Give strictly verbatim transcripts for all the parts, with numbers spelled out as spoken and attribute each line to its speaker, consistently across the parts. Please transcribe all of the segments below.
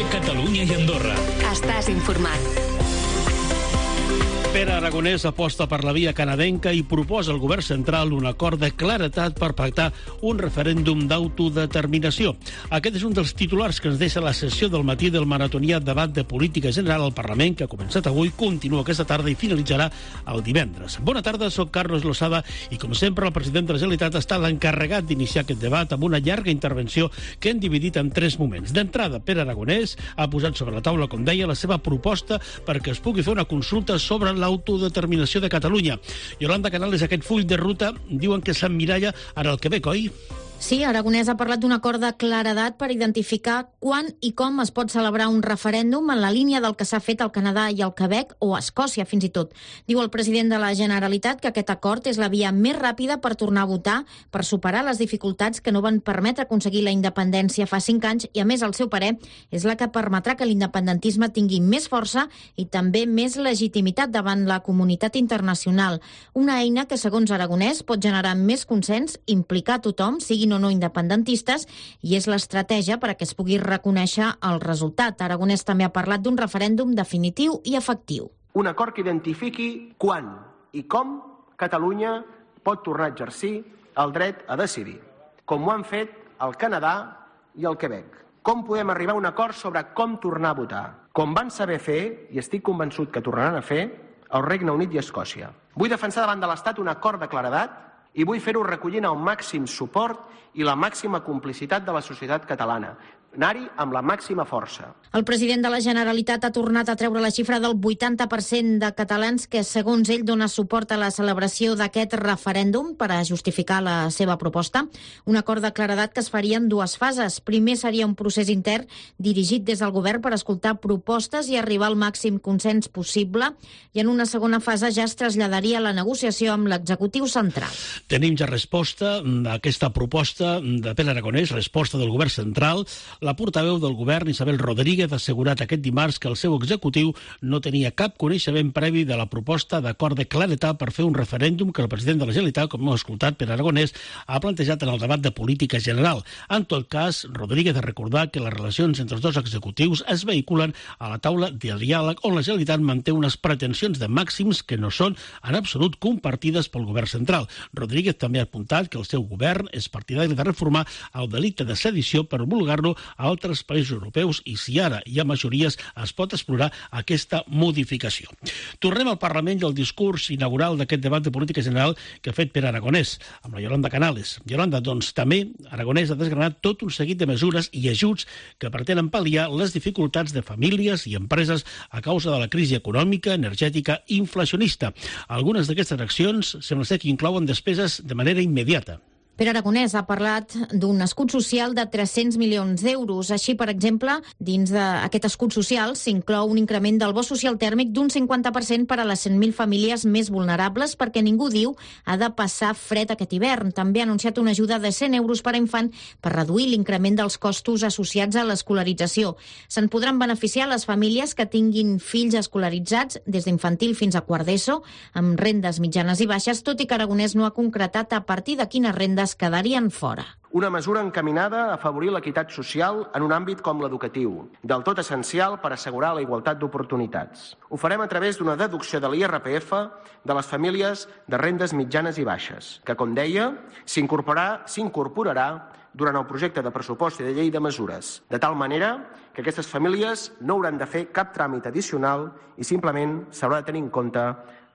Speaker 1: Catalunya i Andorra.
Speaker 2: Estàs informat.
Speaker 3: Pere Aragonès aposta per la via canadenca i proposa al govern central un acord de claretat per pactar un referèndum d'autodeterminació. Aquest és un dels titulars que ens deixa la sessió del matí del maratonià debat de política general al Parlament, que ha començat avui, continua aquesta tarda i finalitzarà el divendres. Bona tarda, soc Carlos Losada i, com sempre, el president de la Generalitat està l'encarregat d'iniciar aquest debat amb una llarga intervenció que hem dividit en tres moments. D'entrada, Pere Aragonès ha posat sobre la taula, com deia, la seva proposta perquè es pugui fer una consulta sobre l'autodeterminació de Catalunya. Yolanda Canales, aquest full de ruta diuen que s'emmiralla en el Quebec, oi?
Speaker 4: Sí, Aragonès ha parlat d'un acord de claredat per identificar quan i com es pot celebrar un referèndum en la línia del que s'ha fet al Canadà i al Quebec, o a Escòcia, fins i tot. Diu el president de la Generalitat que aquest acord és la via més ràpida per tornar a votar, per superar les dificultats que no van permetre aconseguir la independència fa cinc anys i, a més, el seu parer és la que permetrà que l'independentisme tingui més força i també més legitimitat davant la comunitat internacional. Una eina que, segons Aragonès, pot generar més consens, implicar tothom, sigui o no independentistes, i és l'estratègia per a que es pugui reconèixer el resultat. Aragonès també ha parlat d'un referèndum definitiu i efectiu.
Speaker 5: Un acord que identifiqui quan i com Catalunya pot tornar a exercir el dret a decidir, com ho han fet el Canadà i el Quebec. Com podem arribar a un acord sobre com tornar a votar, com van saber fer, i estic convençut que tornaran a fer, el Regne Unit i Escòcia. Vull defensar davant de l'Estat un acord de claredat i vull fer-ho recollint el màxim suport i la màxima complicitat de la societat catalana. Anar-hi amb la màxima força.
Speaker 4: El president de la Generalitat ha tornat a treure la xifra del vuitanta per cent de catalans que, segons ell, dona suport a la celebració d'aquest referèndum per a justificar la seva proposta. Un acord de claredat que es faria en dues fases. Primer seria un procés intern dirigit des del govern per escoltar propostes i arribar al màxim consens possible, i en una segona fase ja es traslladaria la negociació amb l'executiu central.
Speaker 3: Tenim ja resposta d'aquesta proposta de Pere Aragonès, resposta del govern central. La portaveu del govern, Isabel Rodríguez, ha assegurat aquest dimarts que el seu executiu no tenia cap coneixement previ de la proposta d'acord de claretat per fer un referèndum que el president de la Generalitat, com hem escoltat, Pere Aragonès, ha plantejat en el debat de política general. En tot cas, Rodríguez ha recordat que les relacions entre els dos executius es vehiculen a la taula de diàleg, on la Generalitat manté unes pretensions de màxims que no són en absolut compartides pel govern central. Rodríguez també ha apuntat que el seu govern és partidari de reformar el delicte de sedició per homologar-lo a altres països europeus i, si ara hi ha majories, es pot explorar aquesta modificació. Tornem al Parlament i al discurs inaugural d'aquest debat de política general que ha fet Pere Aragonès, amb la Yolanda Canales. Yolanda, doncs també Aragonès ha desgranat tot un seguit de mesures i ajuts que pretenen pal·liar les dificultats de famílies i empreses a causa de la crisi econòmica, energètica i inflacionista. Algunes d'aquestes accions sembla ser que inclouen despeses de manera immediata.
Speaker 4: Pere Aragonès ha parlat d'un escut social de tres-cents milions d'euros. Així, per exemple, dins d'aquest escut social s'inclou un increment del bo social tèrmic d'un cinquanta per cent per a les cent mil famílies més vulnerables, perquè ningú, diu, ha de passar fred aquest hivern. També ha anunciat una ajuda de cent euros per a infant per reduir l'increment dels costos associats a l'escolarització. Se'n podran beneficiar les famílies que tinguin fills escolaritzats des d'infantil fins a quart d'ESO, amb rendes mitjanes i baixes, tot i que Aragonès no ha concretat a partir de quines rendes quedarien fora.
Speaker 5: Una mesura encaminada a afavorir l'equitat social en un àmbit com l'educatiu, del tot essencial per assegurar la igualtat d'oportunitats. Ho farem a través d'una deducció de l'I R P F de les famílies de rendes mitjanes i baixes, que, com deia, s'incorporarà s'incorporarà durant el projecte de pressupost i de llei de mesures, de tal manera que aquestes famílies no hauran de fer cap tràmit addicional i simplement s'haurà de tenir en compte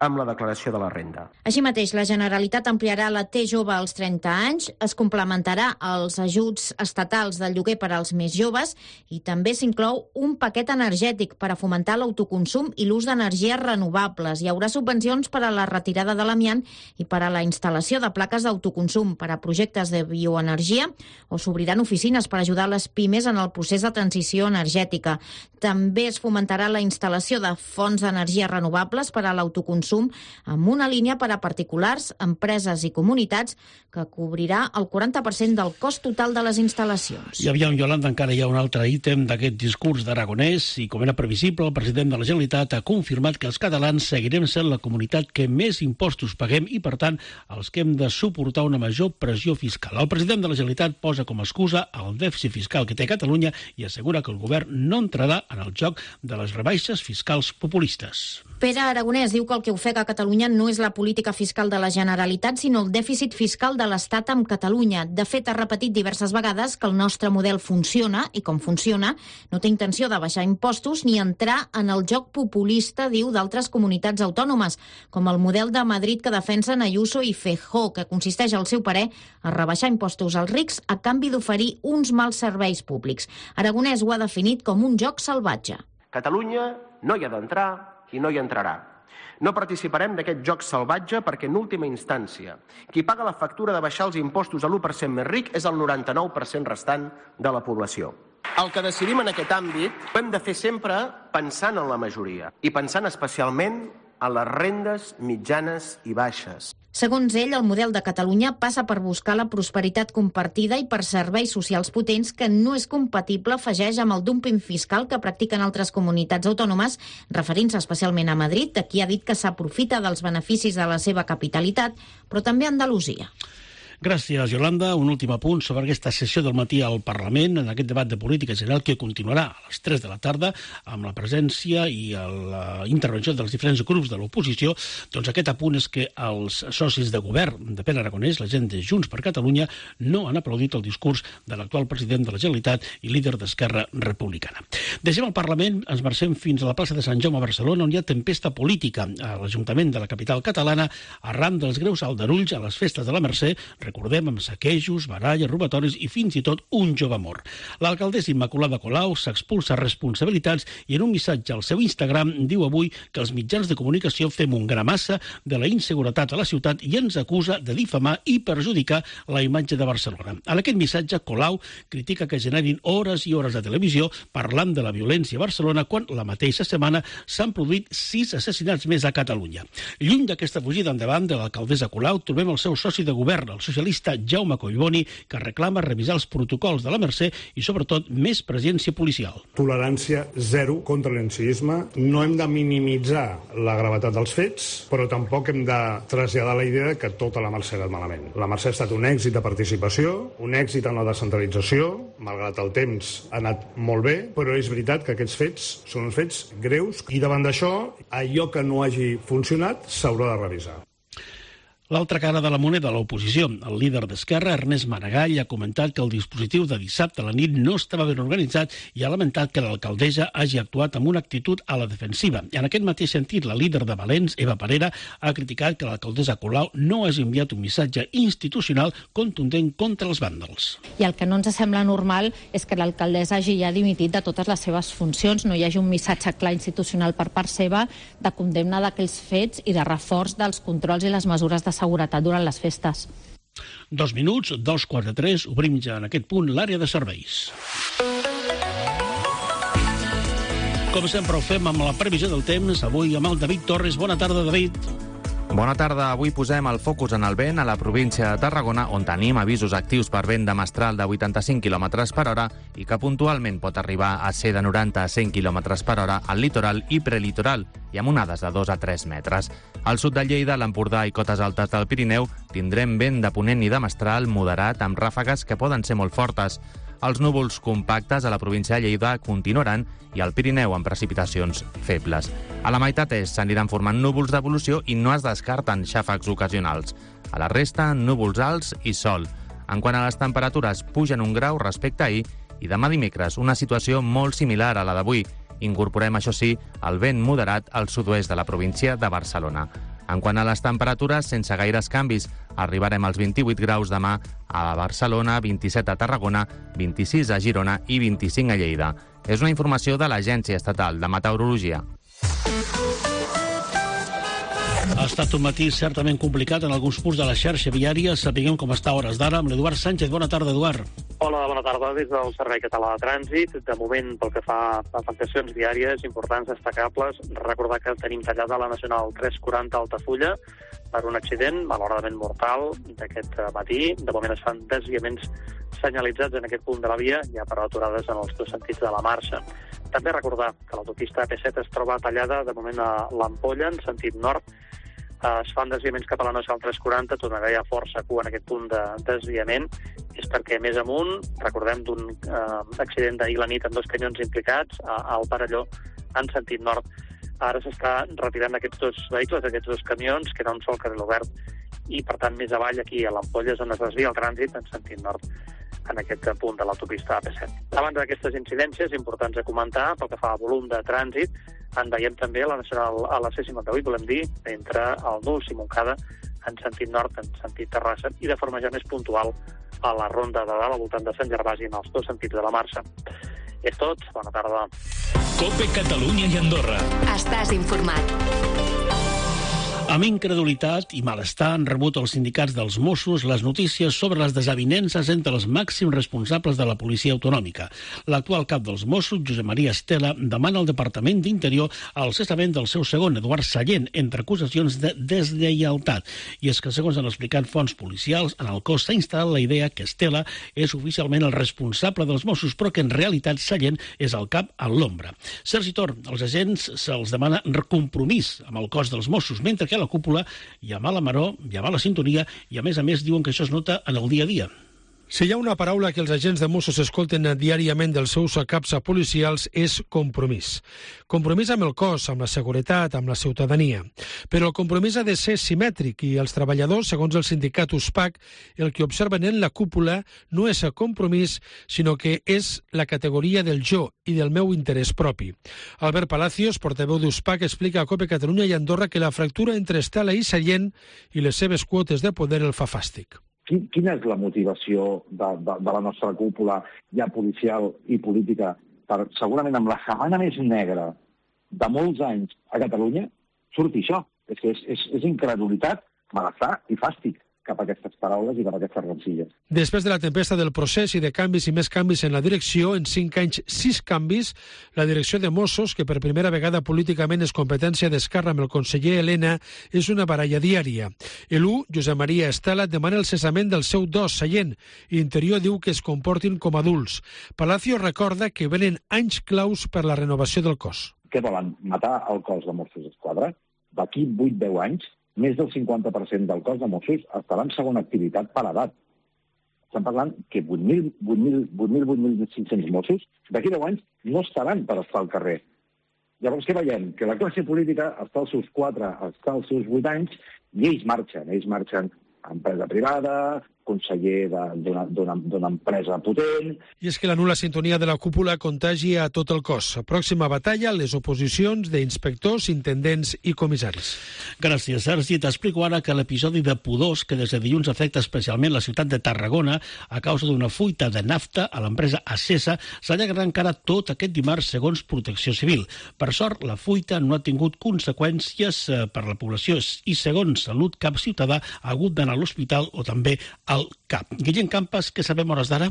Speaker 5: amb la declaració de la renda.
Speaker 4: Així mateix, la Generalitat ampliarà la T jove als trenta anys, es complementarà els ajuts estatals del lloguer per als més joves i també s'inclou un paquet energètic per a fomentar l'autoconsum i l'ús d'energies renovables. Hi haurà subvencions per a la retirada de l'amiant i per a la instal·lació de plaques d'autoconsum per a projectes de bioenergia, o s'obriran oficines per ajudar les pimes en el procés de transició energètica. També es fomentarà la instal·lació de fonts d'energies renovables per a l'autoconsum consum, amb una línia per a particulars, empreses i comunitats que cobrirà el quaranta per cent del cost total de les instal·lacions.
Speaker 3: I aviam, Yolanda, encara hi ha un altre ítem d'aquest discurs d'Aragonès i, com era previsible, el president de la Generalitat ha confirmat que els catalans seguirem sent la comunitat que més impostos paguem i, per tant, els que hem de suportar una major pressió fiscal. El president de la Generalitat posa com a excusa el dèficit fiscal que té Catalunya i assegura que el govern no entrarà en el joc de les rebaixes fiscals populistes.
Speaker 4: Pere Aragonès diu que el que ofega a Catalunya no és la política fiscal de la Generalitat, sinó el dèficit fiscal de l'Estat amb Catalunya. De fet, ha repetit diverses vegades que el nostre model funciona i, com funciona, no té intenció de baixar impostos ni entrar en el joc populista, diu, d'altres comunitats autònomes, com el model de Madrid que defensen Ayuso i Feijóo, que consisteix, al seu parer, a rebaixar impostos als rics a canvi d'oferir uns mals serveis públics. Aragonès ho ha definit com un joc salvatge.
Speaker 5: Catalunya no hi ha d'entrar i no hi entrarà. No participarem d'aquest joc salvatge perquè, en última instància, qui paga la factura de baixar els impostos a l'u per cent més ric és el noranta-nou per cent restant de la població. El que decidim en aquest àmbit ho hem de fer sempre pensant en la majoria i pensant especialment en les rendes mitjanes i baixes.
Speaker 4: Segons ell, el model de Catalunya passa per buscar la prosperitat compartida i per serveis socials potents que no és compatible, afegeix, amb el dumping fiscal que practiquen altres comunitats autònomes, referint-se especialment a Madrid, de qui ha dit que s'aprofita dels beneficis de la seva capitalitat, però també a Andalusia.
Speaker 3: Gràcies, Yolanda. Un últim apunt sobre aquesta sessió del matí al Parlament, en aquest debat de política general que continuarà a les tres de la tarda amb la presència i la intervenció dels diferents grups de l'oposició. Doncs aquest apunt és que els socis de govern de Pere Aragonès, la gent de Junts per Catalunya, no han aplaudit el discurs de l'actual president de la Generalitat i líder d'Esquerra Republicana. Deixem el Parlament, ens marxem fins a la plaça de Sant Jaume a Barcelona, on hi ha tempesta política a l'Ajuntament de la capital catalana arran dels greus aldarulls a les festes de la Mercè, recordem, amb saquejos, baralles, robatoris i fins i tot un jove mort. L'alcaldessa Immaculada Colau s'expulsa responsabilitats i en un missatge al seu Instagram diu avui que els mitjans de comunicació fem un gramassa de la inseguretat a la ciutat i ens acusa de difamar i perjudicar la imatge de Barcelona. En aquest missatge, Colau critica que generin hores i hores de televisió parlant de la violència a Barcelona quan la mateixa setmana s'han produït sis assassinats més a Catalunya. Lluny d'aquesta fugida endavant de l'alcaldessa Colau, trobem el seu soci de govern, el socialista Jaume Collboni, que reclama revisar els protocols de la Mercè i, sobretot, més presència policial.
Speaker 1: Tolerància zero contra l'ensenyisme. No hem de minimitzar la gravetat dels fets, però tampoc hem de traslladar la idea que tota la Mercè ha anat malament. La Mercè ha estat un èxit de participació, un èxit en la descentralització, malgrat el temps ha anat molt bé, però és veritat que aquests fets són uns fets greus i davant d'això, allò que no hagi funcionat s'haurà de revisar.
Speaker 3: L'altra cara de la moneda, l'oposició. El líder d'Esquerra, Ernest Maragall, ha comentat que el dispositiu de dissabte a la nit no estava ben organitzat i ha lamentat que l'alcaldessa hagi actuat amb una actitud a la defensiva. En aquest mateix sentit, la líder de Valents, Eva Parera, ha criticat que l'alcaldessa Colau no hagi enviat un missatge institucional contundent contra els vàndals.
Speaker 2: I el que no ens sembla normal és que l'alcaldessa hagi ja dimitit de totes les seves funcions, no hi hagi un missatge clar institucional per part seva de condemna d'aquells fets i de reforç dels controls i les mesures de seguretat durant les festes.
Speaker 3: Dos minuts, dos quarts de tres, obrim ja en aquest punt l'àrea de serveis. Com sempre ho fem amb la previsió del temps, avui amb el David Torres. Bona tarda, David.
Speaker 6: Bona tarda. Avui posem el focus en el vent a la província de Tarragona, on tenim avisos actius per vent de mestral de vuitanta-cinc quilòmetres per hora i que puntualment pot arribar a ser de noranta a cent quilòmetres per hora al litoral i prelitoral, i amb onades de dos a tres metres. Al sud de Lleida, l'Empordà i cotes altes del Pirineu tindrem vent de ponent i de mestral moderat amb ràfegues que poden ser molt fortes. Els núvols compactes a la província de Lleida continuaran i al Pirineu amb precipitacions febles. A la meitat est s'aniran formant núvols d'evolució i no es descarten xàfecs ocasionals. A la resta, núvols alts i sol. En quant a les temperatures, pugen un grau respecte a ahir i demà dimecres una situació molt similar a la d'avui. Incorporem, això sí, el vent moderat al sud-oest de la província de Barcelona. En quant a les temperatures, sense gaires canvis, arribarem als vint-i-vuit graus demà a Barcelona, vint-i-set a Tarragona, vint-i-sis a Girona i vint-i-cinc a Lleida. És una informació de l'Agència Estatal de Meteorologia.
Speaker 3: Ha estat un matí certament complicat en alguns punts de la xarxa viària. Sapiguem com està a hores d'ara amb l'Eduard Sánchez. Bona tarda, Eduard.
Speaker 7: Hola, bona tarda. Des del Servei Català de Trànsit, de moment, pel que fa a afectacions diàries importants, destacables, recordar que tenim tallada la Nacional tres quaranta Altafulla per un accident malauradament mortal d'aquest matí. De moment es fan desviaments senyalitzats en aquest punt de la via, ja per aturades en els dos sentits de la marxa. També recordar que l'autopista A P set es troba tallada de moment a l'Ampolla, en sentit nord. Es fan desviaments cap a la Nacional tres quaranta, tornarà ja força cua en aquest punt de desviament. És perquè més amunt, recordem d'un eh, accident d'ahir la nit amb dos camions implicats a, al Parelló, en sentit nord. Ara s'està retirant aquests dos vehicles, aquests dos camions, queda un sol carril obert, i per tant més avall aquí a l'Ampolla és on es desvia el trànsit en sentit nord, en aquest punt de l'autopista A P set. A banda d'aquestes incidències importants a comentar, pel que fa a volum de trànsit, en veiem també a la Nacional a la C cinquanta-vuit, volem dir, entre el Nuls i Montcada, en sentit nord, en sentit Terrassa, i de forma ja més puntual a la ronda de dalt, al voltant de Sant Gervasi, en els dos sentits de la marxa. És tot, bona tarda.
Speaker 8: COPE Catalunya i Andorra.
Speaker 9: Estàs informat.
Speaker 3: Amb incredulitat i malestar han rebut els sindicats dels Mossos les notícies sobre les desavinences entre els màxims responsables de la policia autonòmica. L'actual cap dels Mossos, Josep Maria Estela, demana al Departament d'Interior el cessament del seu segon, Eduard Sallent, entre acusacions de deslleialtat. I és que, segons han explicat fonts policials, en el cos s'ha instal·lat la idea que Estela és oficialment el responsable dels Mossos, però que en realitat Sallent és el cap a l'ombra. Sergi Tor, als agents se'ls demana compromís amb el cos dels Mossos, mentre que a la cúpula hi ha mala maror, hi ha mala sintonia i, a més a més, diuen que això es nota en el dia a dia.
Speaker 10: Si hi ha una paraula que els agents de Mossos escolten diàriament dels seus caps policials és compromís. Compromís amb el cos, amb la seguretat, amb la ciutadania. Però el compromís ha de ser simètric i els treballadors, segons el sindicat U S P A C, el que observen en la cúpula no és el compromís, sinó que és la categoria del jo i del meu interès propi. Albert Palacios, portaveu d'U S P A C, explica a COPE Catalunya i Andorra que la fractura entre Estela i Sallent i les seves quotes de poder el fa fàstic.
Speaker 11: Quina és la motivació de, de, de la nostra cúpula, ja policial i política, per segurament amb la setmana més negra de molts anys a Catalunya, surti això? És que és, és, és incredulitat, malestar i fàstic cap a aquestes paraules i cap a aquestes rencilles.
Speaker 10: Després de la tempesta del procés i de canvis i més canvis en la direcció, en cinc anys, sis canvis, la direcció de Mossos, que per primera vegada políticament és competència d'Esquerra amb el conseller Helena, és una baralla diària. L'U, Josep Maria Estela, demana el cessament del seu dos, Sallent, i Interior diu que es comportin com adults. Palacio recorda que venen anys claus per la renovació del cos.
Speaker 11: Què volen? Matar el cos de Mossos d'Esquadra? D'aquí vuit a deu anys, més del cinquanta per cent del cos de Mossos estarà en segona activitat per edat. Estem parlant que vuit mil, vuit mil, vuit mil, vuit mil cinc-cents Mossos d'aquí deu anys no estaran per estar al carrer. Llavors, què veiem? Que la classe política està als seus quatre, està als seus vuit anys i ells marxen. Ells marxen a empresa privada, conseller d'una empresa potent.
Speaker 10: I és que la nul·la sintonia de la cúpula contagia a tot el cos. Pròxima batalla, les oposicions d'inspectors, intendents i comissaris.
Speaker 3: Gràcies, Sergi. T'explico ara que l'episodi de pudors que des de dilluns afecta especialment la ciutat de Tarragona a causa d'una fuita de nafta a l'empresa Acesa s'allargarà encara tot aquest dimarts segons Protecció Civil. Per sort, la fuita no ha tingut conseqüències per la població i segons Salut cap ciutadà ha hagut d'anar a l'hospital o també al C A P. Guillem Campas, què sabem hores d'ara?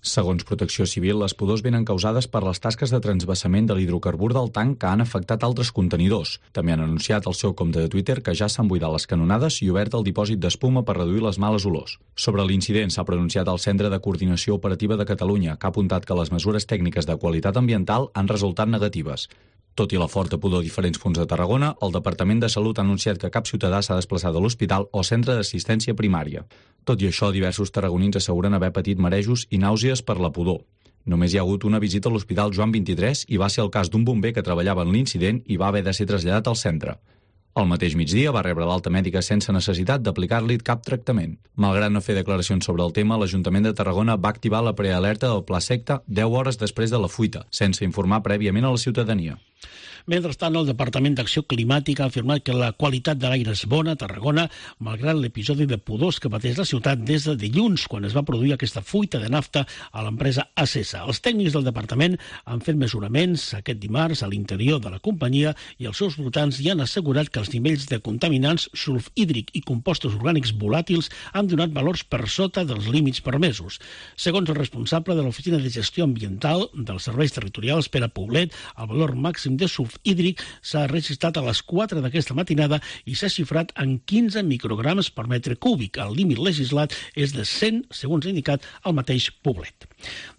Speaker 12: Segons Protecció Civil, les pudors venen causades per les tasques de transvassament de l'hidrocarbur del tanc que han afectat altres contenidors. També han anunciat al seu compte de Twitter que ja s'han buidat les canonades i obert el dipòsit d'espuma per reduir les males olors. Sobre l'incident s'ha pronunciat el Centre de Coordinació Operativa de Catalunya, que ha apuntat que les mesures tècniques de qualitat ambiental han resultat negatives. Tot i la forta pudor a diferents punts de Tarragona, el Departament de Salut ha anunciat que cap ciutadà s'ha desplaçat a l'hospital o centre d'assistència primària. Tot i això, diversos tarragonins asseguren haver patit marejos i nàusees per la pudor. Només hi ha hagut una visita a l'Hospital Joan vint-i-tres i va ser el cas d'un bomber que treballava en l'incident i va haver de ser traslladat al centre. Al mateix migdia va rebre l'alta mèdica sense necessitat d'aplicar-li cap tractament. Malgrat no fer declaracions sobre el tema, l'Ajuntament de Tarragona va activar la prealerta del Pla Secta deu hores després de la fuita, sense informar prèviament a la ciutadania.
Speaker 3: Mentrestant, el Departament d'Acció Climàtica ha afirmat que la qualitat de l'aire és bona a Tarragona, malgrat l'episodi de pudors que pateix la ciutat des de dilluns, quan es va produir aquesta fuita de nafta a l'empresa Acesa. Els tècnics del departament han fet mesuraments aquest dimarts a l'interior de la companyia i els seus voltants hi han assegurat que els nivells de contaminants, sulf hídric i compostos orgànics volàtils han donat valors per sota dels límits permesos. Segons el responsable de l'Oficina de Gestió Ambiental dels Serveis Territorials, Pere Poblet, el valor màxim de sulf hídric s'ha registrat a les quatre d'aquesta matinada i s'ha xifrat en quinze micrograms per metre cúbic. El límit legislat és de cent, segons ha indicat el mateix Poblet.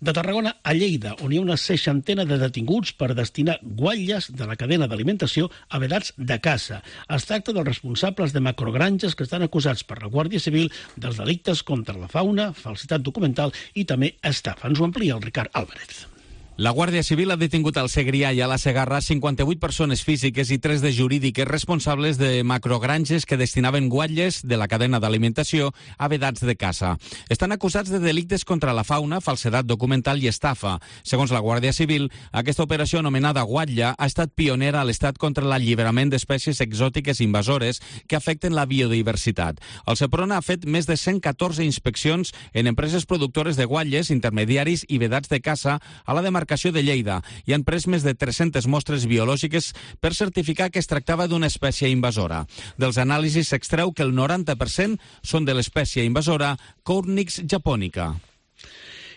Speaker 3: De Tarragona a Lleida, on hi ha una seixantena de detinguts per destinar guatlles de la cadena d'alimentació a vedats de caça. Es tracta dels responsables de macrogranges que estan acusats per la Guàrdia Civil dels delictes contra la fauna, falsitat documental i també estafa. Ens ho amplia el Ricard Álvarez.
Speaker 9: La Guàrdia Civil ha detingut al Segrià i a la Segarra cinquanta-vuit persones físiques i tres de jurídiques responsables de macrogranges que destinaven guatlles de la cadena d'alimentació a vedats de caça. Estan acusats de delictes contra la fauna, falsedat documental i estafa. Segons la Guàrdia Civil, aquesta operació anomenada guatlla ha estat pionera a l'Estat contra l'alliberament d'espècies exòtiques invasores que afecten la biodiversitat. El Seprona ha fet més de cent catorze inspeccions en empreses productores de guatlles, intermediaris i vedats de caça a la demarcació de Lleida i han pres més de tres-centes mostres biològiques per certificar que es tractava d'una espècie invasora. Dels anàlisis s'extreu que el noranta per cent són de l'espècie invasora Cornix japonica.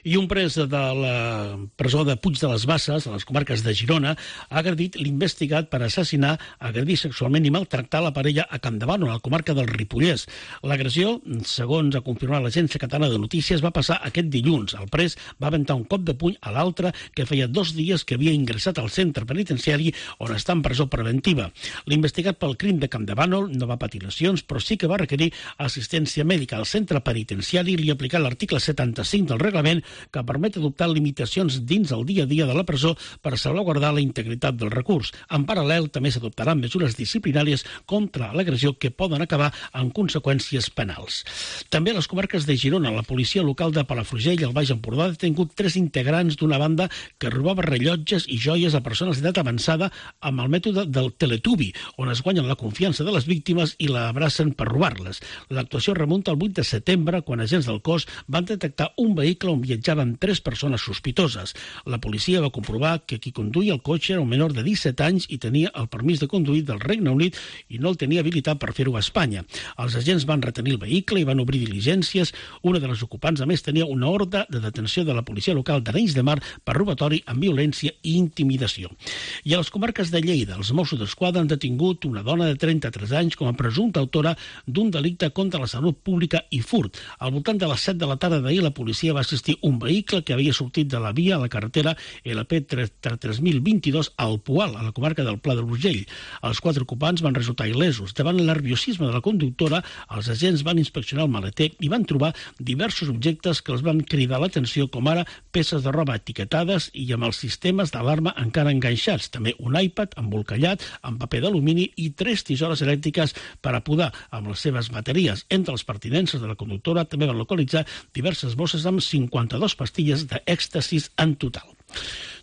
Speaker 3: I un pres de la presó de Puig de les Basses, a les comarques de Girona, ha agredit l'investigat per assassinar, agredir sexualment i maltractar la parella a Campdevànol, a la comarca del Ripollès. L'agressió, segons ha confirmat l'Agència Catalana de Notícies, va passar aquest dilluns. El pres va aventar un cop de puny a l'altre que feia dos dies que havia ingressat al centre penitenciari on està en presó preventiva. L'investigat pel crim de Campdevànol no va patir lesions, però sí que va requerir assistència mèdica. Al centre penitenciari li ha aplicat l'article setanta-cinc del reglament que permet adoptar limitacions dins el dia a dia de la presó per salvaguardar la integritat del recurs. En paral·lel, també s'adoptaran mesures disciplinàries contra l'agressió que poden acabar en conseqüències penals. També a les comarques de Girona, la policia local de Palafrugell i el Baix Empordà ha detingut tres integrants d'una banda que robava rellotges i joies a persones d'edat avançada amb el mètode del teletubi, on es guanyen la confiança de les víctimes i la abracen per robar-les. L'actuació remunta al vuit de setembre, quan agents del cos van detectar un vehicle on viatjaven tres persones sospitoses. La policia va comprovar que qui conduïa el cotxe era un menor de disset anys i tenia el permís de conduir del Regne Unit i no el tenia habilitat per fer-ho a Espanya. Els agents van retenir el vehicle i van obrir diligències. Una de les ocupants, a més, tenia una ordre de detenció de la policia local d'Arenys de Mar per robatori amb violència i intimidació. I a les comarques de Lleida, els Mossos d'Esquadra han detingut una dona de trenta-tres anys com a presumpta autora d'un delicte contra la salut pública i furt. Al voltant de les set de la tarda d'ahir, la policia va assistir un vehicle que havia sortit de la via a la carretera L P tres mil vint-i-dos al Poal, a la comarca del Pla de l'Urgell. Els quatre ocupants van resultar il·lesos. Davant el nerviosisme de la conductora, els agents van inspeccionar el maleter i van trobar diversos objectes que els van cridar l'atenció, com ara peces de roba etiquetades i amb els sistemes d'alarma encara enganxats. També un iPad embolcallat amb paper d'alumini i tres tisores elèctriques per a podar amb les seves bateries. Entre les pertinences de la conductora també van localitzar diverses bosses amb cinquanta-dos pastilles d'èxtasis en total.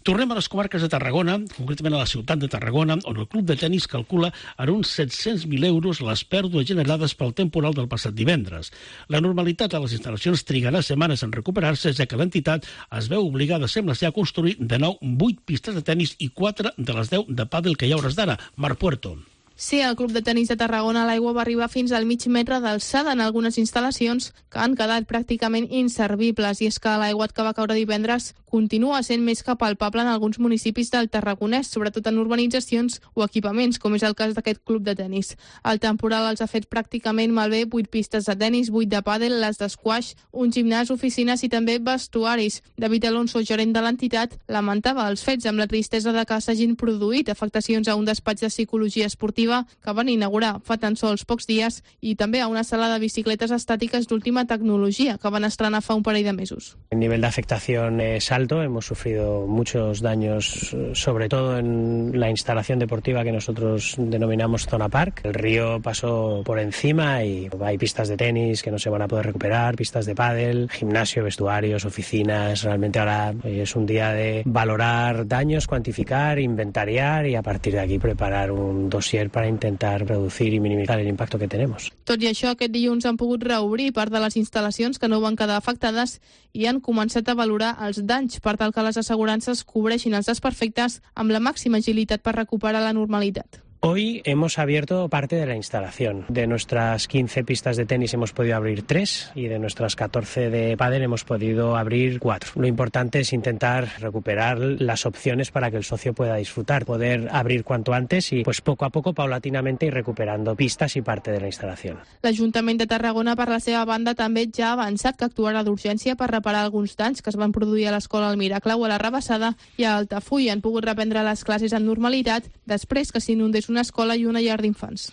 Speaker 3: Tornem a les comarques de Tarragona, concretament a la ciutat de Tarragona, on el club de tenis calcula en uns set-cents mil euros les pèrdues generades pel temporal del passat divendres. La normalitat a les instal·lacions trigarà setmanes en recuperar-se, ja que l'entitat es veu obligada, sembla ser, a construir de nou vuit pistes de tenis i quatre de les deu de pàdel que hi ha hores d'ara. Marc Puerto.
Speaker 13: Sí, el Club de Tenis de Tarragona, l'aigua va arribar fins al mig metre d'alçada en algunes instal·lacions que han quedat pràcticament inservibles, i és que l'aigua que va caure divendres continua sent més que palpable en alguns municipis del Tarragonès, sobretot en urbanitzacions o equipaments, com és el cas d'aquest club de tenis. El temporal els ha fet pràcticament malbé vuit pistes de tenis, vuit de pàdel, les d'esquaix, un gimnàs, oficines i també vestuaris. David Alonso, gerent de l'entitat, lamentava els fets amb la tristesa de que s'hagin produït afectacions a un despatx de psicologia esportiva que van inaugurar fa tan sols pocs dies i també a una sala de bicicletes estàtiques d'última tecnologia que van estrenar fa un parell de mesos.
Speaker 14: El nivell d'afectación es alto. alto, hemos sufrido muchos daños, sobre todo en la instalación deportiva que nosotros denominamos Zona Park. El río pasó por encima y hay pistas de tenis que no se van a poder recuperar, pistas de pádel, gimnasio, vestuarios, oficinas. Realmente ahora hoy es un día de valorar daños, cuantificar, inventariar y a partir de aquí preparar un dossier para intentar reducir y minimizar el impacto que tenemos.
Speaker 13: Tot i això, aquest dilluns han pogut reobrir part de les instal·lacions que no van quedar afectades i han començat a valorar els danys per tal que les assegurances cobreixin els desperfectes amb la màxima agilitat per recuperar la normalitat.
Speaker 14: Hoy hemos abierto parte de la instalación. De nuestras quince pistas de tenis hemos podido abrir tres y de nuestras catorce de pádel hemos podido abrir cuatro. Lo importante es intentar recuperar las opciones para que el socio pueda disfrutar, poder abrir cuanto antes y pues poco a poco, paulatinamente, ir recuperando pistas y parte de la instalación.
Speaker 13: L'Ajuntament de Tarragona, per la seva banda, també ja ha avançat que actuarà d'urgència per reparar alguns danys que es van produir a l'escola El Miracle o a la Rabassada i a Altafulla. Han pogut reprendre les classes amb normalitat després que s'inundés una escola i una llar d'infants.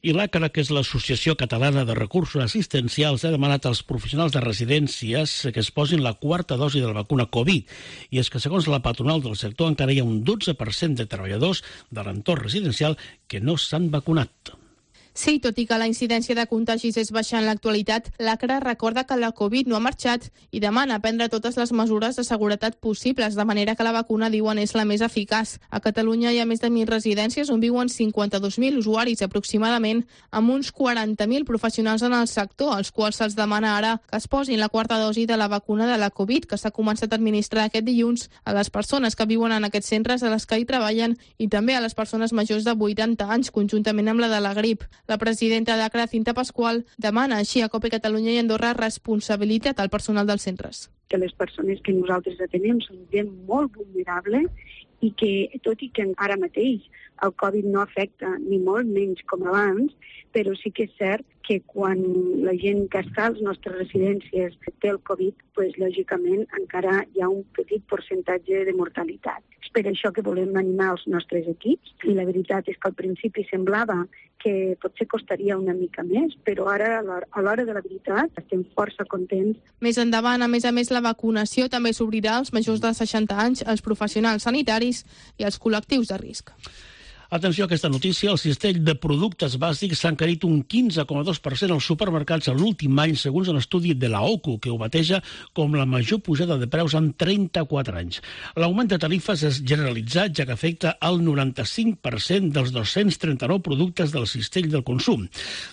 Speaker 3: I l'A C R A, que és l'Associació Catalana de Recursos Assistencials, ha demanat als professionals de residències que es posin la quarta dosi de la vacuna Covid. I és que, segons la patronal del sector, encara hi ha un dotze per cent de treballadors de l'entorn residencial que no s'han vacunat.
Speaker 13: Sí, tot i que la incidència de contagis és baixa en l'actualitat, l'A C R A recorda que la Covid no ha marxat i demana prendre totes les mesures de seguretat possibles, de manera que la vacuna, diuen, és la més eficaç. A Catalunya hi ha més de mil residències on viuen cinquanta-dos mil usuaris aproximadament, amb uns quaranta mil professionals en el sector, als quals se'ls demana ara que es posin la quarta dosi de la vacuna de la Covid, que s'ha començat a administrar aquest dilluns a les persones que viuen en aquests centres, a les que hi treballen, i també a les persones majors de vuitanta anys, conjuntament amb la de la grip. La presidenta d'A C R A, Cinta Pasqual, demana així a COPE Catalunya i Andorra responsabilitat al personal dels centres.
Speaker 15: Que les persones que nosaltres atenem són gent molt vulnerable i que, tot i que ara mateix el Covid no afecta ni molt menys com abans, però sí que és cert que quan la gent que està a les nostres residències té el Covid, pues, lògicament encara hi ha un petit percentatge de mortalitat. És per això que volem animar els nostres equips i la veritat és que al principi semblava que potser costaria una mica més, però ara a l'hora de la veritat estem força contents.
Speaker 13: Més endavant, a més a més, la vacunació també s'obrirà als majors de seixanta anys, als professionals sanitaris i als col·lectius de risc.
Speaker 3: Atenció a aquesta notícia, el cistell de productes bàsics s'ha encarit un quinze coma dos per cent als supermercats en l'últim any, segons un estudi de la O C U, que ho bateja com la major pujada de preus en trenta-quatre anys. L'augment de tarifes és generalitzat, ja que afecta el noranta-cinc per cent dels dos-cents trenta-nou productes del cistell del consum.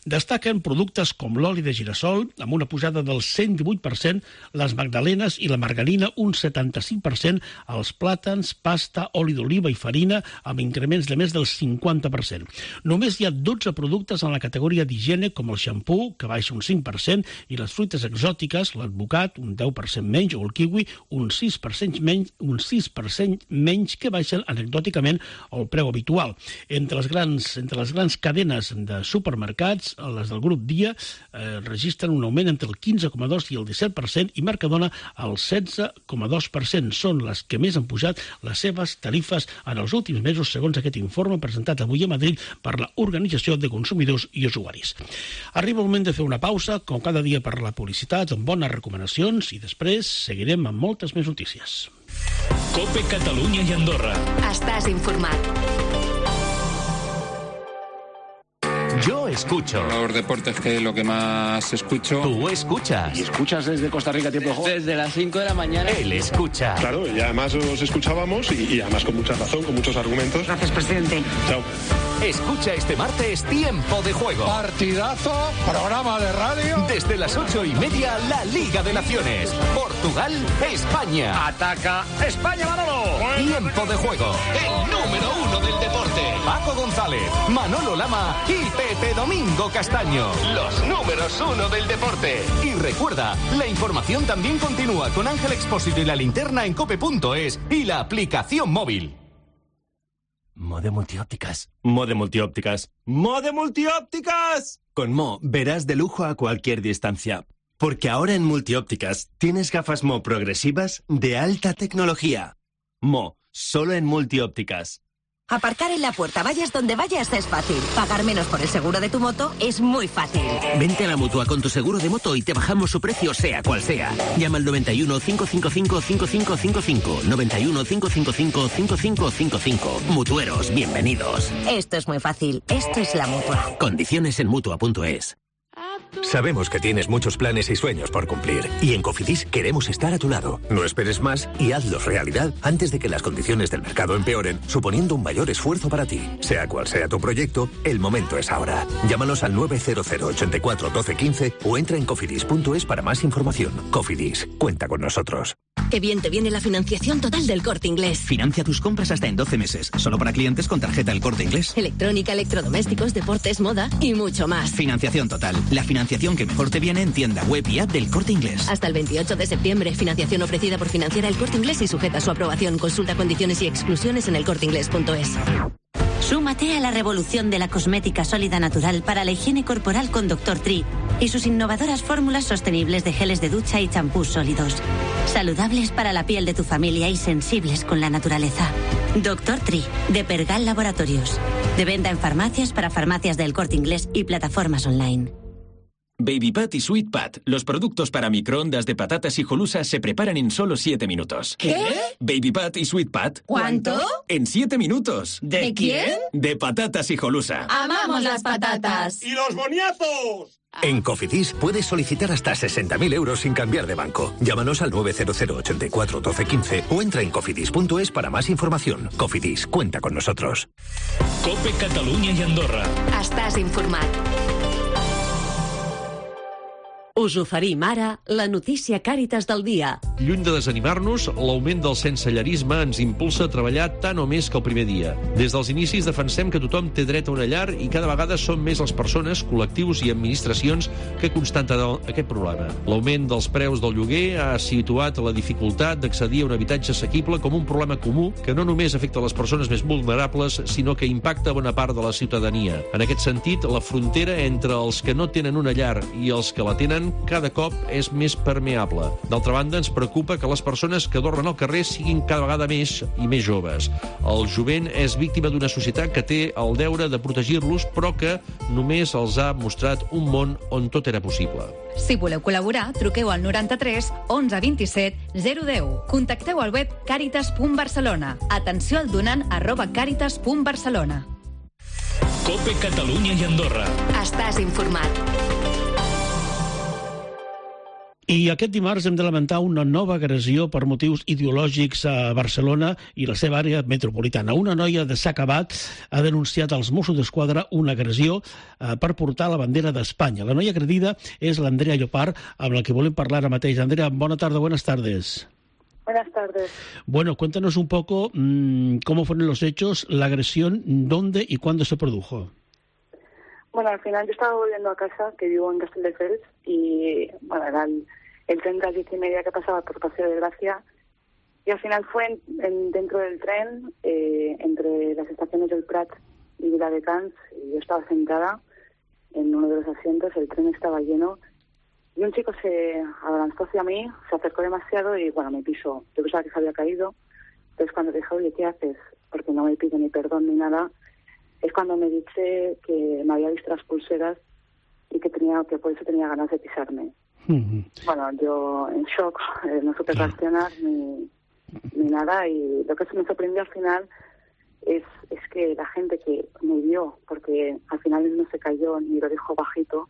Speaker 3: Destaquen productes com l'oli de girassol, amb una pujada del cent divuit per cent, les magdalenes i la margarina un setanta-cinc per cent, els plàtans, pasta, oli d'oliva i farina, amb increments de més del cinquanta per cent. Només hi ha dotze productes en la categoria d'higiene, com el xampú, que baixa un cinc per cent, i les fruites exòtiques, l'advocat, un deu per cent menys, o el kiwi, un sis per cent menys, un sis per cent menys, que baixen anecdòticament el preu habitual. Entre les grans, entre les grans cadenes de supermercats, les del grup Dia, eh, registren un augment entre el quinze coma dos i el disset per cent, i Mercadona el setze coma dos per cent. Són les que més han pujat les seves tarifes en els últims mesos, segons aquest informe presentat avui a Madrid per l'Organització de Consumidors i Usuaris. Arriba el moment de fer una pausa, com cada dia per la publicitat, amb bones recomanacions, i després seguirem amb moltes més notícies.
Speaker 8: COPE Catalunya i Andorra.
Speaker 16: Estàs informat.
Speaker 17: Yo escucho.
Speaker 18: Los deportes, que es lo que más escucho.
Speaker 17: Tú escuchas.
Speaker 18: ¿Y escuchas desde Costa Rica tiempo de juego?
Speaker 17: Desde las cinco de la mañana. Él escucha.
Speaker 19: Claro, y además os escuchábamos y, y además con mucha razón, con muchos argumentos.
Speaker 16: Gracias, presidente.
Speaker 19: Chao.
Speaker 17: Escucha este martes Tiempo de Juego.
Speaker 20: Partidazo, programa de radio.
Speaker 17: Desde las ocho y media, la Liga de Naciones. Portugal, España.
Speaker 18: Ataca España, Manolo.
Speaker 17: Tiempo de Juego. El número uno del deporte. Paco González, Manolo Lama y Pepe Domingo Castaño. Los números uno del deporte. Y recuerda, la información también continúa con Ángel Expósito y la linterna en cope punto es y la aplicación móvil.
Speaker 21: Mode Multiópticas. Mode Multiópticas. ¡Mode Multiópticas! Con Mo verás de lujo a cualquier distancia. Porque ahora en Multiópticas tienes gafas Mo progresivas de alta tecnología. Mo, solo en Multiópticas.
Speaker 5: Aparcar en la puerta, vayas donde vayas, es fácil. Pagar menos por el seguro de tu moto es muy fácil.
Speaker 22: Vente a la Mutua con tu seguro de moto y te bajamos su precio sea cual sea. Llama al noventa y uno, cinco cinco cinco, cinco cinco cinco cinco. noventa y uno, cinco cinco cinco, cinco cinco cinco cinco. Mutueros, bienvenidos.
Speaker 5: Esto es muy fácil. Esto es la Mutua.
Speaker 22: Condiciones en Mutua punto es.
Speaker 23: Sabemos que tienes muchos planes y sueños por cumplir, y en Cofidis queremos estar a tu lado. No esperes más y hazlos realidad antes de que las condiciones del mercado empeoren, suponiendo un mayor esfuerzo para ti. Sea cual sea tu proyecto, el momento es ahora. Llámanos al nueve cero cero, ochenta y cuatro, doce, quince o entra en cofidis punto es para más información. Cofidis, cuenta con nosotros.
Speaker 5: Qué bien te viene la financiación total del Corte Inglés.
Speaker 22: Financia tus compras hasta en doce meses, solo para clientes con tarjeta El Corte Inglés.
Speaker 5: Electrónica, electrodomésticos, deportes, moda y mucho más.
Speaker 22: Financiación total, la financiación que mejor te viene en tienda, web y app del Corte Inglés.
Speaker 5: Hasta el veintiocho de septiembre, financiación ofrecida por Financiera El Corte Inglés y sujeta a su aprobación. Consulta condiciones y exclusiones en el corte inglés punto es.
Speaker 24: Súmate a la revolución de la cosmética sólida natural para la higiene corporal con doctor Tree y sus innovadoras fórmulas sostenibles de geles de ducha y champús sólidos. Saludables para la piel de tu familia y sensibles con la naturaleza. doctor Tree, de Pergal Laboratorios. De venta en farmacias para farmacias del Corte Inglés y plataformas online.
Speaker 8: Baby Pat y Sweet Pat, los productos para microondas de patatas hijolusa se preparan en solo siete minutos.
Speaker 5: ¿Qué?
Speaker 8: Baby Pat y Sweet Pat.
Speaker 5: ¿Cuánto?
Speaker 8: En siete minutos.
Speaker 5: ¿De, ¿De quién?
Speaker 8: De patatas hijolusa.
Speaker 5: ¡Amamos las patatas!
Speaker 18: ¡Y los boniazos!
Speaker 23: En Cofidis puedes solicitar hasta sesenta mil euros sin cambiar de banco. Llámanos al nueve cero cero, ochenta y cuatro, doce, quince o entra en cofidis punto es para más información. Cofidis, cuenta con nosotros.
Speaker 8: Cope Catalunya i Andorra.
Speaker 5: Estàs informat.
Speaker 16: Us oferim ara la notícia Càritas del dia.
Speaker 25: Lluny de desanimar-nos, l'augment del sensellarisme ens impulsa a treballar tant o més que el primer dia. Des dels inicis defensem que tothom té dret a una llar i cada vegada són més les persones, col·lectius i administracions que constaten aquest problema. L'augment dels preus del lloguer ha situat la dificultat d'accedir a un habitatge assequible com un problema comú que no només afecta les persones més vulnerables, sinó que impacta bona part de la ciutadania. En aquest sentit, la frontera entre els que no tenen una llar i els que la tenen cada cop és més permeable. D'altra banda, ens preocupa que les persones que dormen al carrer siguin cada vegada més i més joves. El jovent és víctima d'una societat que té el deure de protegir-los, però que només els ha mostrat un món on tot era possible.
Speaker 26: Si voleu col·laborar, truqueu al noranta-tres onze vint-i-set zero deu. Contacteu al web càritas punt barcelona. Atenció al donant arroba càritas punt barcelona.
Speaker 8: Cope Catalunya i Andorra.
Speaker 5: Estàs informat.
Speaker 3: I aquest dimarts hem de lamentar una nova agressió per motius ideològics a Barcelona i la seva àrea metropolitana. Una noia de s'ha acabat ha denunciat als Mossos d'Esquadra una agressió eh, per portar la bandera d'Espanya. La noia agredida és l'Andrea Llopart, amb la que volem parlar ara mateix. Andrea, bona tarda, buenas tardes.
Speaker 27: Buenas tardes.
Speaker 3: Bueno, cuéntanos un poco mmm, cómo fueron los hechos, la agresión, dónde y cuándo se produjo.
Speaker 27: Bueno, al final yo estaba volviendo a casa, que vivo en Castelldefels, y bueno, era el, el tren de las diez y media que pasaba por Paseo de Gracia, y al final fue en, en, dentro del tren, eh, entre las estaciones del Prat y Viladecans, y yo estaba sentada en uno de los asientos, el tren estaba lleno, y un chico se abalanzó hacia mí, se acercó demasiado y bueno, me pisó. Yo pensaba que se había caído, entonces cuando dije, oye, ¿qué haces? Porque no me pide ni perdón ni nada. Es cuando me dice que me había visto las pulseras y que tenía que por eso tenía ganas de pisarme. Uh-huh. Bueno, yo en shock, eh, no supe claro. reaccionar ni, ni nada, y lo que se me sorprendió al final es, es que la gente que me vio, porque al final él no se cayó ni lo dijo bajito,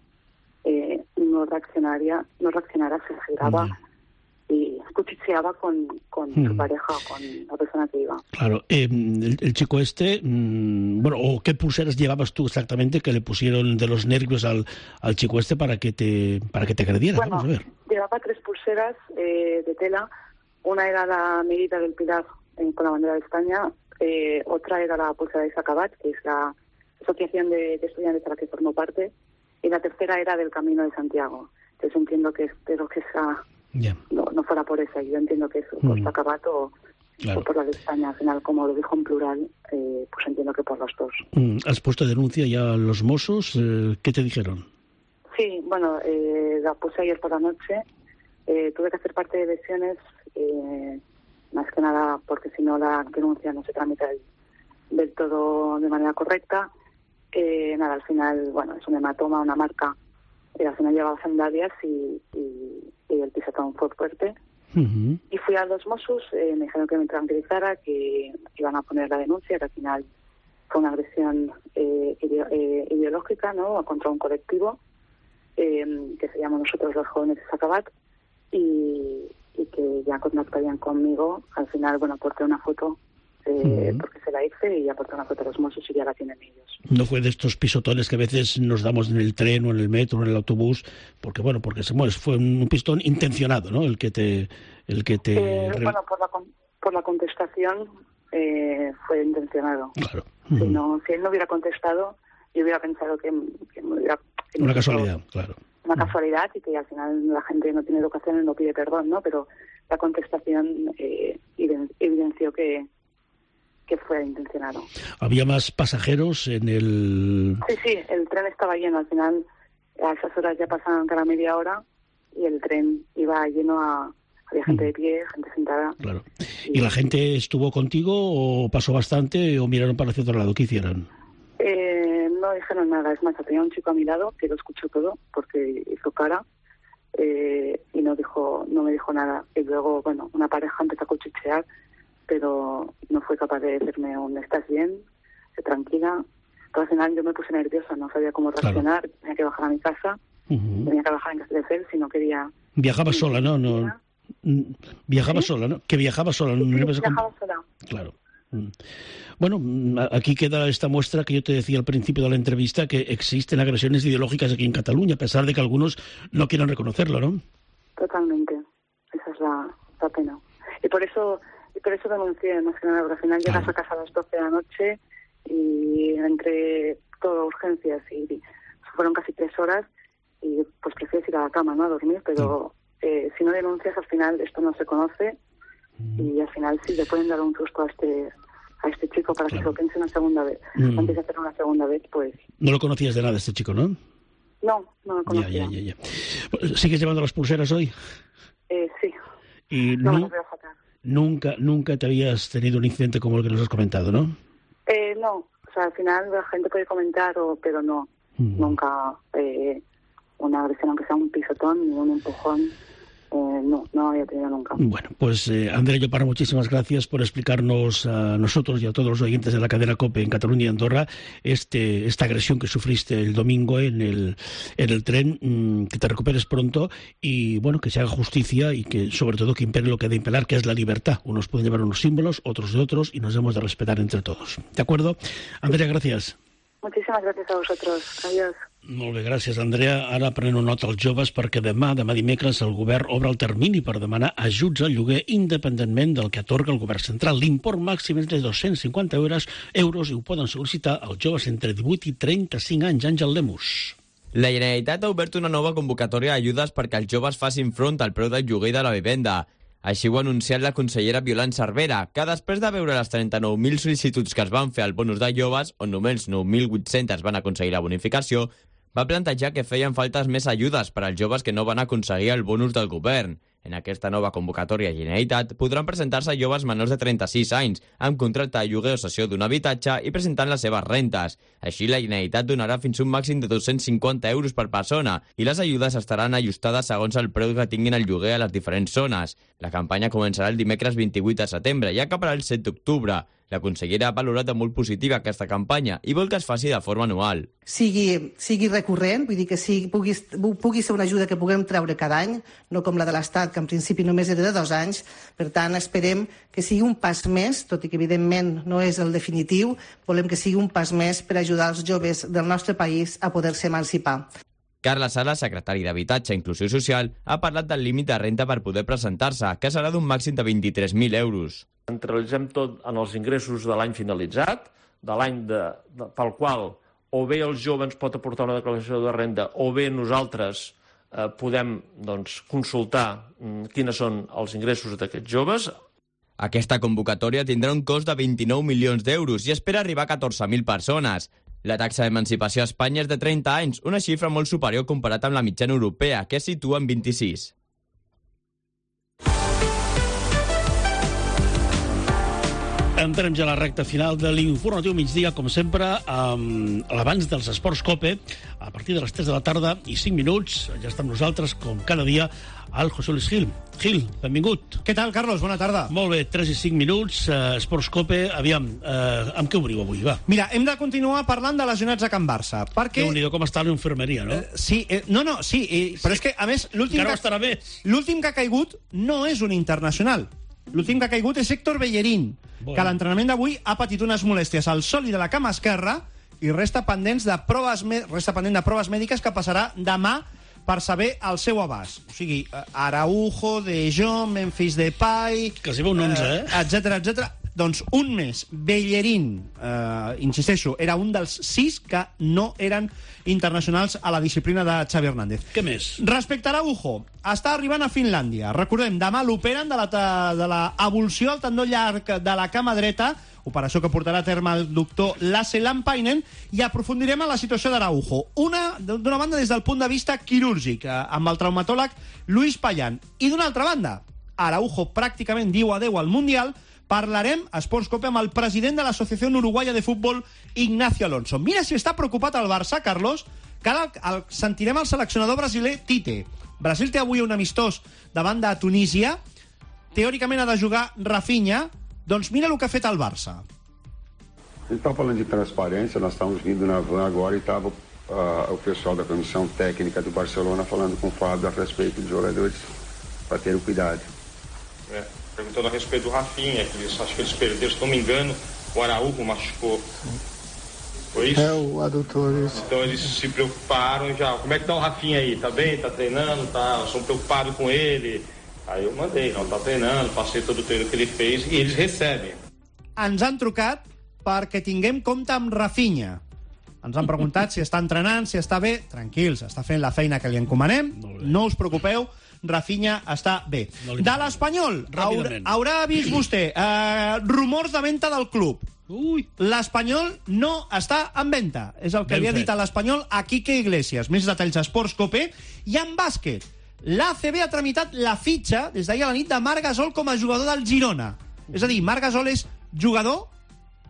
Speaker 27: eh, no reaccionaría, no reaccionara, se giraba uh-huh. y cuchicheaba con, con mm. su pareja o con la persona que iba.
Speaker 3: Claro. Eh, el, el chico este, mmm, bueno, ¿o qué pulseras llevabas tú exactamente que le pusieron de los nervios al, al chico este para que te para que te agrediera?
Speaker 27: Bueno,
Speaker 3: Vamos a ver.
Speaker 27: Llevaba tres pulseras eh, de tela. Una era la medida del Pilar eh, con la bandera de España. Eh, otra era la pulsera de Sacabat, que es la asociación de, de estudiantes a la que formo parte. Y la tercera era del Camino de Santiago. Entonces entiendo que espero que esa yeah. no, no fuera por esa. Yo entiendo que es por mm. Sacabat o, claro. o por la de España. Al final, como lo dijo en plural, eh, pues entiendo que por los dos.
Speaker 3: Mm. ¿Has puesto denuncia ya a los Mossos? Eh, ¿Qué te dijeron?
Speaker 27: Sí, bueno, eh, la puse ayer por la noche. Eh, tuve que hacer parte de lesiones, eh, más que nada porque si no la denuncia no se tramita el, del todo de manera correcta. Eh, nada, al final, bueno, es un hematoma, una marca. Y al final llevaba sandalias y, y, y el pisotón fue fuerte. Uh-huh. Y fui a los Mossos, eh, me dijeron que me tranquilizara, que iban a poner la denuncia, que al final fue una agresión eh, ide- eh, ideológica, ¿no?, contra un colectivo eh, que se llama Nosotros los Jóvenes de Sacabat, y, y que ya contactarían conmigo. Al final, bueno, aporté una foto eh, uh-huh. porque se la hice, y aporté una foto a los Mossos y ya la tienen ellos.
Speaker 3: No fue de estos pisotones que a veces nos damos en el tren o en el metro o en el autobús, porque bueno, porque se muere, fue un pistón intencionado, ¿no?, el que te... El que te...
Speaker 27: Eh, bueno, por la, por la contestación eh, fue intencionado.
Speaker 3: Claro.
Speaker 27: Si, no, si él no hubiera contestado, yo hubiera pensado que, que me hubiera... Que
Speaker 3: una casualidad, claro.
Speaker 27: Una casualidad, y que al final la gente no tiene educación y no pide perdón, ¿no? Pero la contestación eh, evidenció que, que fue intencionado.
Speaker 3: ¿Había más pasajeros en el...?
Speaker 27: Sí, sí, el tren estaba lleno. Al final, a esas horas ya pasaban cada media hora y el tren iba lleno a... Había gente de pie, gente sentada.
Speaker 3: Claro. ¿Y la gente estuvo contigo o pasó bastante o miraron para hacia otro lado? ¿Qué hicieron?
Speaker 27: Eh, no dijeron nada. Es más, tenía un chico a mi lado que lo escuchó todo porque hizo cara eh, y no dijo, no me dijo nada. Y luego, bueno, una pareja empezó a cuchichear, pero no fue capaz de decirme un ¿estás bien? Tranquila. Pero al final yo me puse nerviosa, no sabía cómo reaccionar. Claro. Tenía que bajar a mi casa, uh-huh. tenía que bajar en Castelldefels si no quería...
Speaker 3: Viajaba sola, ¿no? no... Viajaba ¿Sí? sola, ¿no? Que viajaba sola.
Speaker 27: Sí,
Speaker 3: no
Speaker 27: sí,
Speaker 3: vas a
Speaker 27: viajaba sola.
Speaker 3: Claro. Bueno, aquí queda esta muestra que yo te decía al principio de la entrevista, que existen agresiones ideológicas aquí en Cataluña, a pesar de que algunos no quieran reconocerlo, ¿no?
Speaker 27: Totalmente. Esa es la, la pena. Y por eso y por eso denuncié, más que nada, porque al final llegas claro. a casa a las doce de la noche y entre todo urgencias y fueron casi tres horas y pues prefieres ir a la cama, ¿no?, a dormir, pero... Sí. Eh, si no denuncias, al final esto no se conoce y al final sí le pueden dar un susto a este a este chico para claro. que se lo piense una segunda vez. Mm. Antes de hacer una segunda vez, pues...
Speaker 3: No lo conocías de nada este chico, ¿no?
Speaker 27: No, no lo conocía.
Speaker 3: Ya, ya, ya, ya. ¿Sigues llevando las pulseras hoy?
Speaker 27: Eh, sí.
Speaker 3: Y
Speaker 27: no,
Speaker 3: nu-
Speaker 27: las voy a sacar.
Speaker 3: Nunca, nunca te habías tenido un incidente como el que nos has comentado, ¿no?
Speaker 27: Eh, no, o sea, al final la gente puede comentar, o, pero no, mm. nunca eh, una agresión, aunque sea un pisotón ni un empujón. Eh, no, no había tenido nunca.
Speaker 3: Bueno, pues eh, Andrea Llopart, muchísimas gracias por explicarnos a nosotros y a todos los oyentes de la cadena COPE en Cataluña y Andorra este, esta agresión que sufriste el domingo en el, en el tren, mmm, que te recuperes pronto y bueno, que se haga justicia y que sobre todo que impere lo que ha de imperar, que es la libertad. Unos pueden llevar unos símbolos, otros de otros, y nos hemos de respetar entre todos. ¿De acuerdo? Andrea, gracias.
Speaker 27: Moltíssimes gràcies a vosaltres. Adiós.
Speaker 3: Molt bé, gràcies, Andrea. Ara prenen nota als joves perquè demà, demà dimecres, el govern obre el termini per demanar ajuts al lloguer independentment del que atorga el govern central. L'import màxim és de dos-cents cinquanta euros, euros i ho poden sol·licitar els joves entre divuit i trenta-cinc anys. Àngel Lemus.
Speaker 1: La Generalitat ha obert una nova convocatòria d'ajudes perquè els joves facin front al preu del lloguer de la vivenda. Així ho ha anunciat la consellera Violant Cervera, que després de veure les trenta-nou mil sol·licituds que es van fer al bonus de joves, on només nou mil vuit-cents van aconseguir la bonificació, va plantejar que feien faltes més ajudes per als joves que no van aconseguir el bonus del govern. En aquesta nova convocatòria Generalitat podran presentar-se joves menors de trenta-sis anys, amb contracte de lloguer o cessió d'un habitatge i presentant les seves rentes. Així, la Generalitat donarà fins a un màxim de dos-cents cinquanta euros per persona i les ajudes estaran ajustades segons el preu que tinguin el lloguer a les diferents zones. La campanya començarà el dimecres vint-i-vuit de setembre i acabarà el set d'octubre. La consellera ha valorat de molt positiva aquesta campanya i vol que es faci de forma anual.
Speaker 2: Sigui, sigui recurrent, vull dir que sigui, pugui, pugui ser una ajuda que puguem treure cada any, no com la de l'Estat, que en principi només era de dos anys. Per tant, esperem que sigui un pas més, tot i que evidentment no és el definitiu, volem que sigui un pas més per ajudar els joves del nostre país a poder-se emancipar.
Speaker 1: Carles Sala, secretari d'Habitatge i Inclusió Social, ha parlat del límit de renta per poder presentar-se, que serà d'un màxim de vint-i-tres mil euros.
Speaker 4: Centralitzem tot en els ingressos de l'any finalitzat, de l'any de, de, pel qual o bé el jove ens pot aportar una declaració de renda o bé nosaltres eh, podem doncs, consultar mm, quines són els ingressos d'aquests joves.
Speaker 1: Aquesta convocatòria tindrà un cost de vint-i-nou milions d'euros i espera arribar a catorze mil persones. La taxa d'emancipació a Espanya és de trenta anys, una xifra molt superior comparat amb la mitjana europea, que es situa en vint-i-sis.
Speaker 3: Entrem ja a la recta final de l'informatiu migdia, com sempre, amb l'abans dels Esports Cope, a partir de les tres de la tarda i cinc minuts. Ja està amb nosaltres, com cada dia, el José Luis Gil. Gil, benvingut.
Speaker 6: Què tal, Carlos? Bona tarda.
Speaker 3: Molt bé, tres i cinc minuts, eh, Esports Cope. Aviam, eh, amb què obriu avui, va?
Speaker 6: Mira, hem de continuar parlant de lesionats a Can Barça, perquè...
Speaker 3: Déu-n'hi-do com està l'infermeria, no?
Speaker 6: Eh, sí, eh, no, no, sí, eh, però és que, a més, l'últim
Speaker 3: Encara
Speaker 6: que,
Speaker 3: estarà bé.
Speaker 6: l'últim que ha caigut no és un internacional. L'últim que ha caigut és Héctor Bellerín, bueno. que a l'entrenament d'avui ha patit unes molèsties al sòlid de la cama esquerra i resta pendents de proves, resta pendent de proves mèdiques que passarà demà per saber el seu abast. O sigui, Araujo, De Jong, Memphis Depay...
Speaker 3: Que s'hi veu un onze, eh?
Speaker 6: Etcètera, etcètera. Doncs un més. Bellerín, eh, insisteixo, era un dels sis que no eren internacionals a la disciplina de Xavi Hernández.
Speaker 3: Què més?
Speaker 6: Respecte a Araujo, està arribant a Finlàndia. Recordem, demà l'operen de la, de la avulsió al tendó llarg de la cama dreta, operació que portarà a terme el doctor Lasse Lampainen, i aprofundirem en la situació d'Araujo. Una, d'una banda, des del punt de vista quirúrgic, amb el traumatòleg Luis Payán. I d'una altra banda, Araujo pràcticament diu adeu al Mundial. Parlarem a Esports Cope amb el president de l'Associació Uruguaya de Futbol, Ignacio Alonso. Mira si està preocupat el Barça, Carlos, que ara el, sentirem el seleccionador brasiler Tite. Brasil té avui un amistós davant de Tunísia. Teòricament ha de jugar Rafinha. Doncs mira el que ha fet el Barça.
Speaker 7: Ele está falando de transparência, nós estamos vindo na van agora e estava uh, o pessoal da comissão técnica do Barcelona falando com o Fábio a respeito dos jogadores para terem cuidado.
Speaker 9: É, perguntando a respeito do Rafinha, que eles, acho que eles perderam, se não me engano, o Araújo machucou. Foi isso?
Speaker 7: É, o adutor, isso.
Speaker 9: Então eles se preocuparam já. Como é que tá o Rafinha aí? Tá bem? Tá treinando? Tá? Estão preocupados com ele? Aí eu mandei, não, tá treinando, passei todo o treino que ele fez e eles recebem.
Speaker 6: Ens han trucat perquè tinguem compte amb Rafinha. Ens han preguntat si està entrenant, si està bé. Tranquils, està fent la feina que li encomanem. No us preocupeu, Rafinha està bé. No de l'Espanyol, haurà, haurà vist vostè eh, rumors de venda del club. L'Espanyol no està en venda. És el que ben li ha dit a l'Espanyol a Quique Iglesias. Més detalls a Esports Cope. I en bàsquet, l'A C B ha tramitat la fitxa des d'ahir a la nit de Marc Gasol com a jugador del Girona. És a dir, Marc Gasol és jugador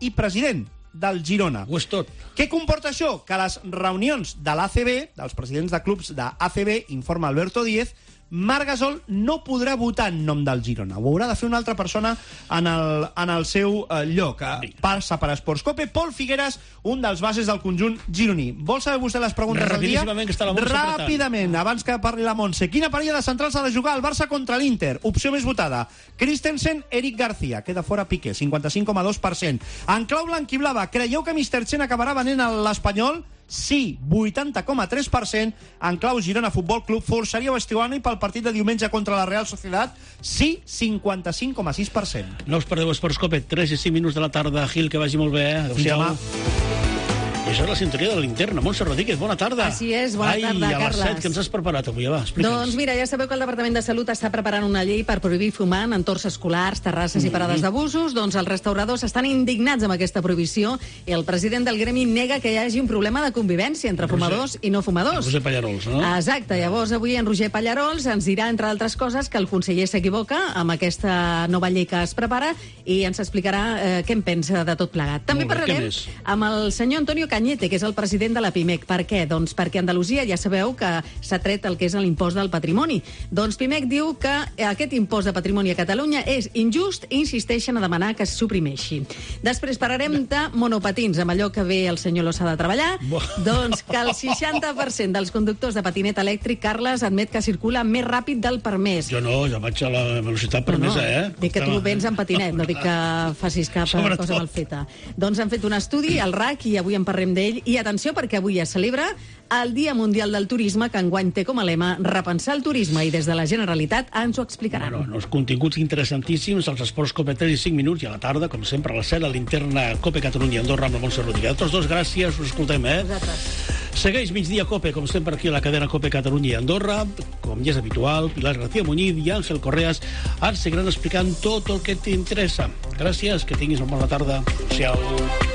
Speaker 6: i president del Girona.
Speaker 3: Ho és tot.
Speaker 6: Què comporta això? Que les reunions de l'A C B, dels presidents de clubs de A C B, informa Alberto Díez, Marc Gasol no podrà votar en nom del Girona. Ho haurà de fer una altra persona en el, en el seu eh, lloc. Passa per Esports Cope. Pol Figueres, un dels bases del conjunt gironí. Vol saber vostè les preguntes del dia?
Speaker 3: Que està la Montse
Speaker 6: Ràpidament, abans que parli la Montse. Quina parella de centrals ha de jugar el Barça contra l'Inter? Opció més votada. Christensen, Eric García. Queda fora Piqué, cinquanta-cinc coma dos per cent. En clau blanquiblava, creieu que mister Chen acabarà venent l'Espanyol? Sí, vuitanta coma tres per cent. En clau Girona Futbol Club, forçaríeu Estiuani pel partit de diumenge contra la Real Sociedad? Sí, cinquanta-cinc coma sis per cent.
Speaker 3: No us perdeu Esports Cope, tres i cinc minuts de la tarda. Gil, que vagi molt bé. Eh?
Speaker 6: Fins demà.
Speaker 3: I això és la sintonia de la linterna. Montse Rodríguez, bona tarda.
Speaker 10: Així és, bona
Speaker 3: Ai,
Speaker 10: tarda,
Speaker 3: Carles. Ai, a les
Speaker 10: Carles.
Speaker 3: set, que ens has preparat avui? Va, explica'ns.
Speaker 10: Doncs mira, ja sabeu que el Departament de Salut està preparant una llei per prohibir fumar en entorns escolars, terrasses mm -hmm. i parades d'abusos. Doncs els restauradors estan indignats amb aquesta prohibició i el president del gremi nega que hi hagi un problema de convivència entre Roger, fumadors i no fumadors.
Speaker 3: Roger Pallarols, no?
Speaker 10: Exacte. Llavors, avui en Roger Pallarols ens dirà, entre altres coses, que el conseller s'equivoca amb aquesta nova llei que es prepara i ens explicarà eh, què en pensa de tot plegat. També
Speaker 3: Molt bé,
Speaker 10: parlarem amb el senyor Antonio Cañete, que és el president de la Pimec. Per què? Doncs perquè a Andalusia ja sabeu que s'ha tret el que és l'impost del patrimoni. Doncs Pimec diu que aquest impost de patrimoni a Catalunya és injust i insisteixen a demanar que es suprimeixi. Després parlarem de monopatins, amb allò que ve el senyor Lozada a treballar. Doncs que el seixanta per cent dels conductors de patinet elèctric, Carles, admet que circula més ràpid del permès.
Speaker 3: Jo no, jo vaig a la velocitat permesa, no, no. eh?
Speaker 10: Dic que tu vens en patinet, no dic que facis cap Sobretot. cosa mal feta. Doncs han fet un estudi, el R A C, i avui en parlem d'ell. I atenció, perquè avui es celebra el Dia Mundial del Turisme, que enguany té com a lema repensar el turisme, i des de la Generalitat ens ho explicaran.
Speaker 3: Bueno, els continguts interessantíssims, els Esports Cope tres i cinc minuts, i a la tarda, com sempre, a les set, la linterna Cope Catalunya Andorra amb la Montse Rodríguez. A tots dos, gràcies, us escoltem, eh?
Speaker 10: Vosaltres.
Speaker 3: Segueix Migdia Cope, com sempre, aquí a la cadena Cope Catalunya i Andorra, com ja és habitual, Pilar García Muñiz i Àngel Correas ens seguiran explicant tot el que t'interessa. Gràcies, que tinguis una bona tarda. Adéu.